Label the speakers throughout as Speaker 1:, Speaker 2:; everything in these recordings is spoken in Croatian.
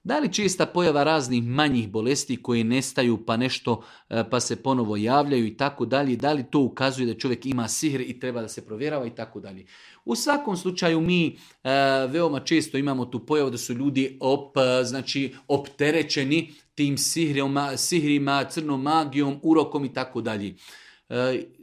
Speaker 1: Da li česta pojava raznih manjih bolesti koje nestaju pa nešto, pa se ponovo javljaju i tako dalje, da li to ukazuje da čovjek ima sihr i treba da se provjerava i tako dalje. U svakom slučaju mi veoma često imamo tu pojavu da su ljudi opterećeni tim sihrima, crnom magijom, urokom i tako dalje.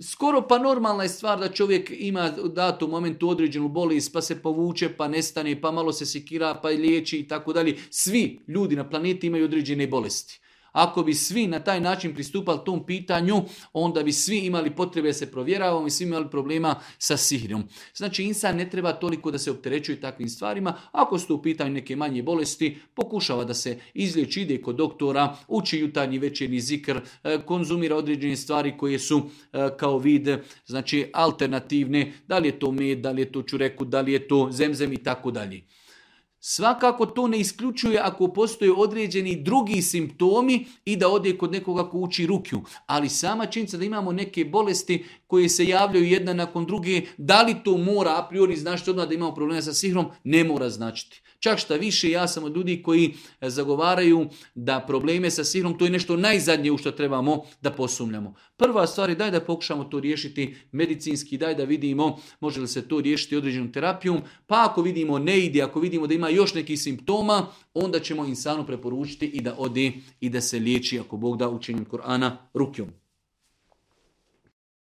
Speaker 1: Skoro pa normalna je stvar da čovjek ima u datom momentu određenu bolest, pa se povuče, pa nestane, pa malo se sekira, pa liječi i tako dalje. Svi ljudi na planeti imaju određene bolesti. Ako bi svi na taj način pristupali tom pitanju, onda bi svi imali potrebe da se provjeravamo i svi imali problema sa sihrom. Znači, insan ne treba toliko da se opterećuje takvim stvarima. Ako su u pitanju neke manje bolesti, pokušava da se izliječi, ide kod doktora, uči jutarnji večernji zikr, konzumira određene stvari koje su kao vid, znači alternativne, da li je to med, da li je to čureku, da li je to zemzem i tako dalje. Svakako to ne isključuje ako postoje određeni drugi simptomi i da ode kod nekoga ko uči rukju. Ali sama činjenica da imamo neke bolesti koje se javljaju jedna nakon druge, da li to mora a priori značiti odmah da imamo problema sa sihrom, ne mora značiti. Čak šta više, ja sam od ljudi koji zagovaraju da probleme sa sihrom, to je nešto najzadnje u što trebamo da posumnjamo. Prva stvar je daj da pokušamo to riješiti medicinski, daj da vidimo može li se to riješiti određenom terapijom, pa ako vidimo ne ide, ako vidimo da ima još nekih simptoma, onda ćemo insanu preporučiti i da ode i da se liječi, ako Bog da, učenjem Kur'ana rukjom.